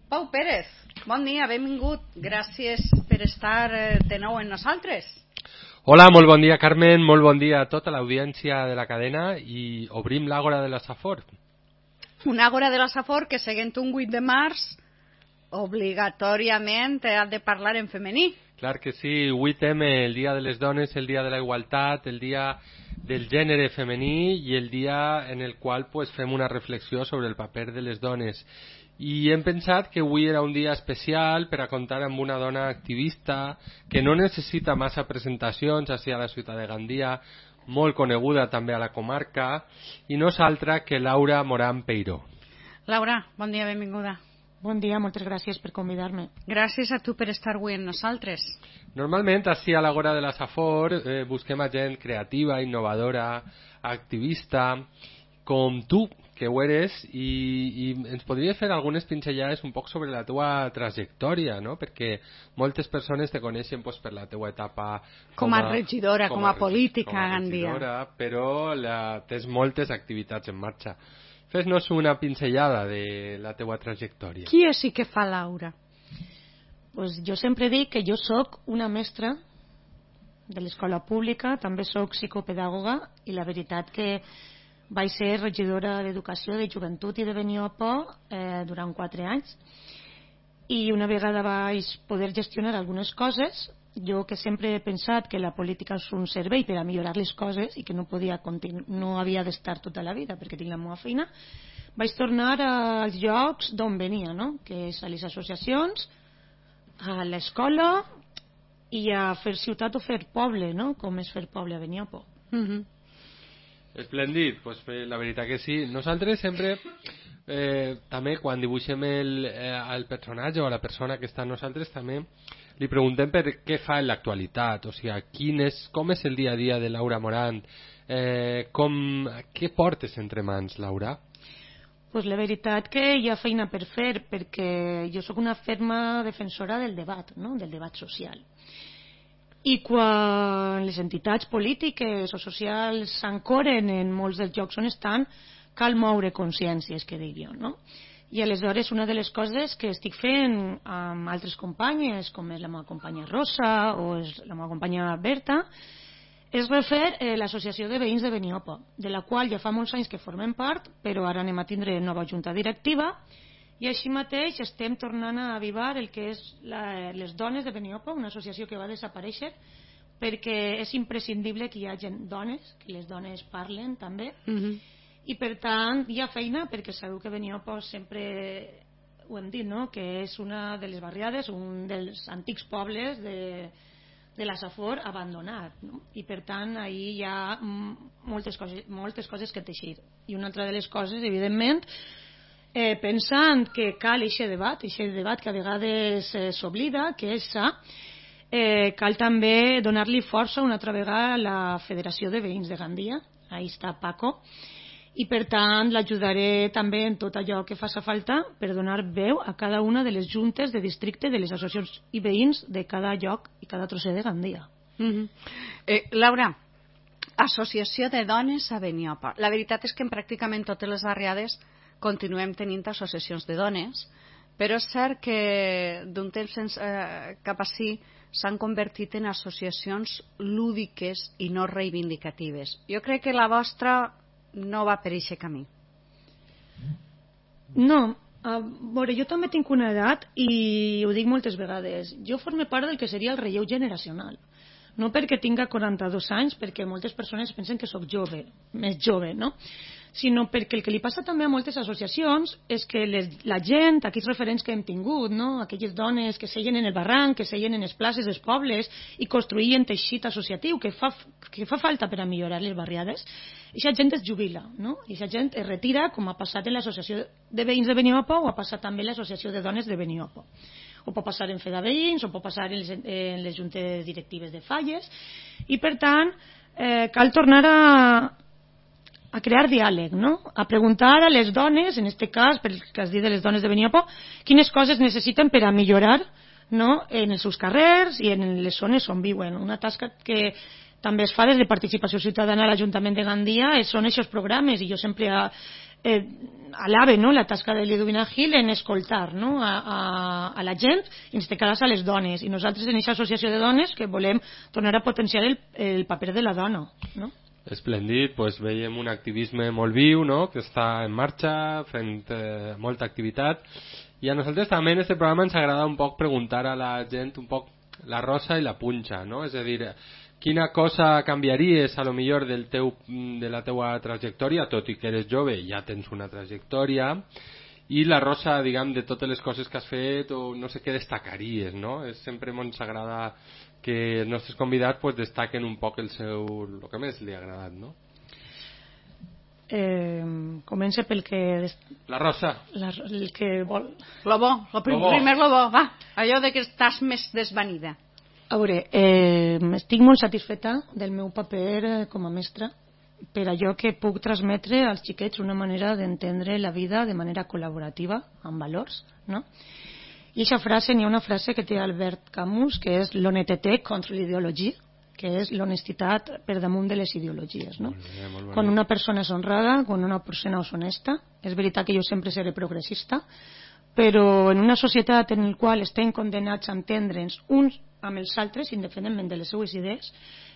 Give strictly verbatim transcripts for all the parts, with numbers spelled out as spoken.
Pau Pérez, bon dia, benvingut. Gràcies per estar de nou amb nosaltres. Hola, molt bon dia, Carmen, molt bon dia a tota l'audiència de la cadena i obrim l'Àgora de la Safor. Una Àgora de la Safor que, seguint un vuit de març, obligatòriament ha de parlar en femení. Clar que sí, vuit eme, el dia de les dones, el dia de la igualtat, el dia del gènere femení i el dia en el qual pues, fem una reflexió sobre el paper de les dones. I hem pensat que avui era un dia especial per a comptar amb una dona activista que no necessita massa presentacions així a la ciutat de Gandia, molt coneguda també a la comarca, i no és altra que Laura Morán Peiró. Laura, bon dia, benvinguda. Bon dia, moltes gràcies per convidar-me. Gràcies a tu per estar avui amb nosaltres. Normalment, així a l'Àgora de la Safor, eh, busquem a gent creativa, innovadora, activista, com tu, que ho eres, i, i ens podries fer algunes pinzellades un poc sobre la teua trajectòria, no? Perquè moltes persones te coneixen pues, per la teua etapa com, com a regidora, com a, com a política com a a Gandia. Regidora, però la, tens moltes activitats en marxa. Fes-nos una pinzellada de la teua trajectòria. Qui és i què fa Laura? Pues jo sempre dic que jo sóc una mestra de l'escola pública, també sóc psicopedagoga i la veritat que vaig ser regidora d'Educació, de Joventut i de Beniopo eh, durant quatre anys i una vegada vaig poder gestionar algunes coses, jo que sempre he pensat que la política és un servei per a millorar les coses i que no podia continu- no havia d'estar tota la vida perquè tinc la meva feina, vaig tornar als llocs d'on venia, no? Que és a les associacions, a l'escola i a fer ciutat o fer poble, no? Com és fer poble a Beniopo. Mhm. Esplèndid, pues, la veritat que sí. Nosaltres sempre, eh, també quan dibuixem el, eh, el personatge o la persona que està amb nosaltres, també li preguntem per què fa en l'actualitat, o sigui, quin és, com és el dia a dia de Laura Morán, eh, com, què portes entre mans, Laura? Pues la veritat que hi ha feina per fer, perquè jo sóc una ferma defensora del debat, no? Del debat social. I quan les entitats polítiques o socials s'ancoren en molts dels llocs on estan, cal moure consciències, que dic jo, no? I aleshores una de les coses que estic fent amb altres companyes, com és la meva companya Rosa o és la meva companya Berta, és refer eh, l'associació de veïns de Beniopo, de la qual ja fa molts anys que formem part, però ara anem a tindre nova junta directiva, i així mateix estem tornant a avivar el que és la, les dones de Beniopo, una associació que va desaparèixer perquè és imprescindible que hi hagi dones, que les dones parlen també, Mhm. i per tant hi ha feina perquè sabeu que Beniopo sempre ho hem dit, no? Que és una de les barriades, un dels antics pobles de, de la Safor abandonat, no? I per tant ahir hi ha moltes coses, moltes coses que teixir. I una altra de les coses, evidentment, eh, pensant que cal aquest debat, aquest debat que a vegades eh, s'oblida, que és sa, eh, cal també donar-li força una altra vegada a la Federació de Veïns de Gandia, ahí està Paco, i per tant l'ajudaré també en tot allò que faci falta per donar veu a cada una de les juntes de districte de les associacions i veïns de cada lloc i cada trosser de Gandia. Mhm. eh, Laura, Associació de Dones a Beniopo. La veritat és que en pràcticament totes les barriades continuem tenint associacions de dones, però és cert que d'un temps eh, cap ací s'han convertit en associacions lúdiques i no reivindicatives. Jo crec que la vostra no va per aquest camí. No, a veure, jo també tinc una edat i ho dic moltes vegades, jo formo part del que seria el relleu generacional, no perquè tinga quaranta-dos anys, perquè moltes persones pensen que sóc jove, més jove, no? Sinó perquè el que li passa també a moltes associacions és que les, la gent, aquells referents que hem tingut, no? Aquelles dones que seien en el barranc, que seien en les places dels pobles i construïen teixit associatiu que fa, que fa falta per a millorar les barriades, aquesta gent es jubila, no? Aquesta gent es retira, com ha passat en l'associació de veïns de Beniopo o ha passat també en l'associació de dones de Beniopo. O pot passar en Feda Veïns, o pot passar en les, en les juntes directives de Falles, i per tant eh, cal tornar a a crear diàleg, no? A preguntar a les dones, en aquest cas, pel que has dit de les dones de Beniopo, quines coses necessiten per a millorar, no? En els seus carrers i en les zones on viuen. Una tasca que també es fa des de participació ciutadana a l'Ajuntament de Gandia són aquests programes, i jo sempre eh, alabe, no?, la tasca de Ludmila Gil en escoltar, no?, a, a, a la gent, i en este cas a les dones, i nosaltres en aquesta associació de dones que volem tornar a potenciar el, el paper de la dona, no? Esplèndid, doncs veiem un activisme molt viu, no?, que està en marxa, fent eh, molta activitat, i a nosaltres també en aquest programa ens agrada un poc preguntar a la gent un poc la rosa i la punxa, no?, és a dir, quina cosa canviaries a lo millor del teu, de la teua trajectòria, tot i que eres jove ja tens una trajectòria, i la rosa, diguem, de totes les coses que has fet, o no sé què destacaries, no? És, sempre ens agrada que els nostres convidats pues, destaquen un poc el seu, el que més li ha agradat, no? Eh, comença pel que... La rosa. La, el que vol... Lo bo, lo prim, lo bo. primer lo bo, va. Allò de que estàs més desvanida. A veure, eh, estic molt satisfeta del meu paper eh, com a mestra, per allò que puc transmetre als xiquets una manera d'entendre la vida de manera col·laborativa, amb valors, no? I aquesta frase, n'hi ha una frase que té Albert Camus, que és l'honnêteté contra l'ideologia, que és l'honestitat per damunt de les ideologies, no? Molt bé, molt bé. Quan una persona és honrada, quan una persona és honesta, és veritat que jo sempre seré progressista, però en una societat en la qual estem condemnats a entendre'ns uns amb els altres, independentment de les seues idees,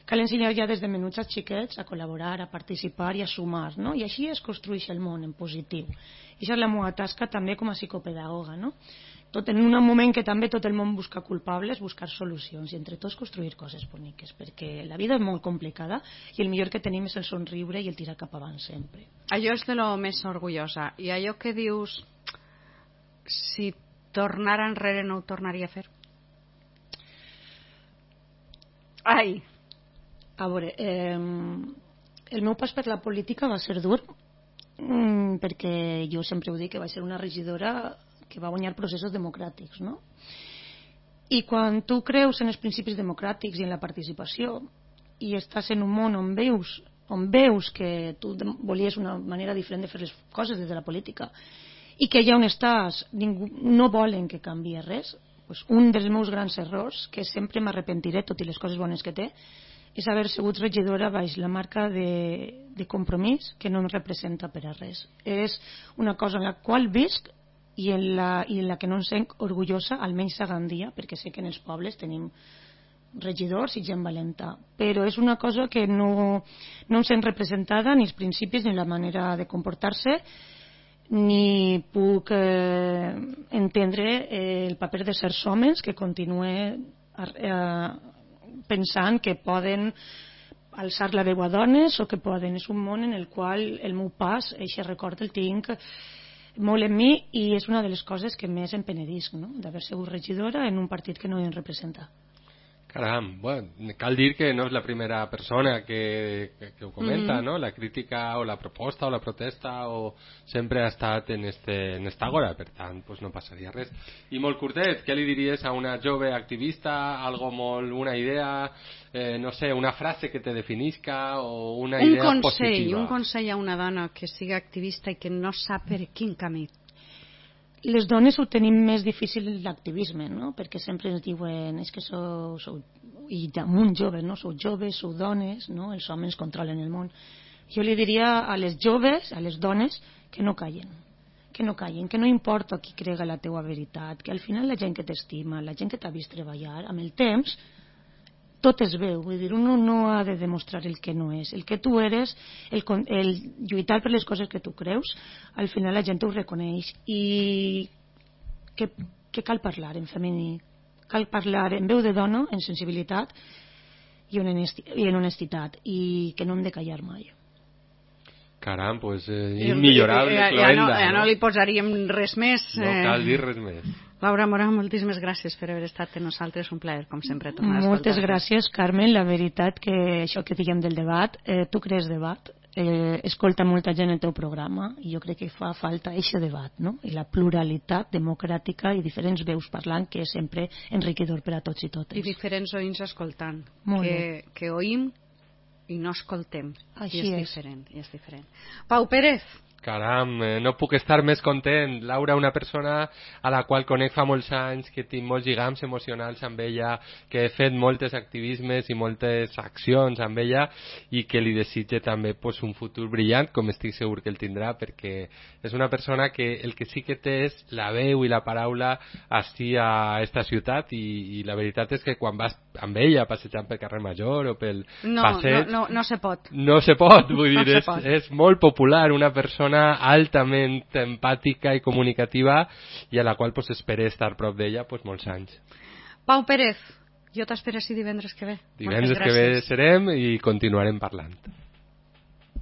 cal ensenyar ja des de menuts als xiquets a col·laborar, a participar i a sumar, no? I així es construeix el món en positiu. I això és la meva tasca també com a psicopedagoga, no? Tot en un moment que també tot el món busca culpables, buscar solucions i entre tots construir coses boniques, perquè la vida és molt complicada i el millor que tenim és el somriure i el tirar cap avant sempre. Allò és de lo més orgullosa. I allò que dius, si tornara enrere no ho tornaria a fer? Ai! A veure, eh, el meu pas per la política va ser dur, mm, perquè jo sempre ho dic que vaig ser una regidora que va guanyar processos democràtics, no? I quan tu creus en els principis democràtics i en la participació i estàs en un món on veus, on veus que tu volies una manera diferent de fer les coses des de la política i que allà on estàs ningú, no volen que canvie res, doncs un dels meus grans errors, que sempre m'arrepentiré tot i les coses bones que té, és haver sigut regidora baix la marca de, de compromís que no em representa per a res. És una cosa en la qual visc i en la, i en la que no em sent orgullosa, almenys a Gandia, perquè sé que en els pobles tenim regidors i gent valenta, però és una cosa que no, no em sent representada ni els principis ni la manera de comportar-se, ni puc eh, entendre eh, el paper de certs homes que continuen eh, pensant que poden alçar la veu a dones o que poden. És un món en el qual el meu pas, aquest record el tinc molt en mi i és una de les coses que més em penedisc, no? D'haver sigut regidora en un partit que no em representa. Caram, bueno, cal dir que no és la primera persona que, que, que ho comenta, mm-hmm. no? La crítica o la proposta o la protesta o sempre ha estat en, este, en esta agora, per tant, pues no passaria res. I molt curtet, què li diries a una jove activista, algo molt, una idea, eh, no sé, una frase que te definisca o una un idea consell, positiva? Un consell a una dona que siga activista i que no sap per quin camí. Les dones ho tenim més difícil l'activisme, no? Perquè sempre ens diuen és que sou, sou i damunt joves, no? Sou joves, sou dones, no? Els homes controlen el món. Jo li diria a les joves, a les dones, que no callen, que no callen, que no importa qui crega la teua veritat, que al final la gent que t'estima, la gent que t'ha vist treballar, amb el temps tot es veu, vull dir, uno no ha de demostrar el que no és, el que tu eres, el, el lluitar per les coses que tu creus, al final la gent ho reconeix i que, que cal parlar en femení, cal parlar en veu de dona, en sensibilitat i en honestitat i que no hem de callar mai. Caram, pues eh, immillorable, ja, ja, cloenda. No, ja no, no li posaríem res més. No cal dir res més. Laura Mora, moltíssimes gràcies per haver estat amb nosaltres, un plaer, com sempre, tornar a escoltar. Moltes gràcies, Carmen. La veritat que això que diguem del debat, eh, tu crees debat, eh, escolta molta gent el teu programa i jo crec que fa falta aquest debat, no? I la pluralitat democràtica i diferents veus parlant, que és sempre enriquidor per a tots i totes. I diferents oïns escoltant, Molt que, bé. que oïm i no escoltem. Així I és, és. diferent, i és diferent. Pau Pérez, Caram, eh, no puc estar més content. Laura, una persona a la qual conec fa molts anys, que tinc molts lligams emocionals amb ella, que he fet moltes activismes i moltes accions amb ella i que li desitge també pues, un futur brillant, com estic segur que el tindrà, perquè és una persona que el que sí que té és la veu i la paraula així a esta ciutat i, i la veritat és que quan vas amb ella passejant pel carrer Major o pel no, passeig... No, no, no se pot. No se pot, vull no dir, és, pot. és molt popular, una persona altament empàtica i comunicativa i a la qual pues, espero estar prop d'ella pues, molts anys. Pau Pérez, jo t'espero si divendres que ve. Divendres que ve serem i continuarem parlant.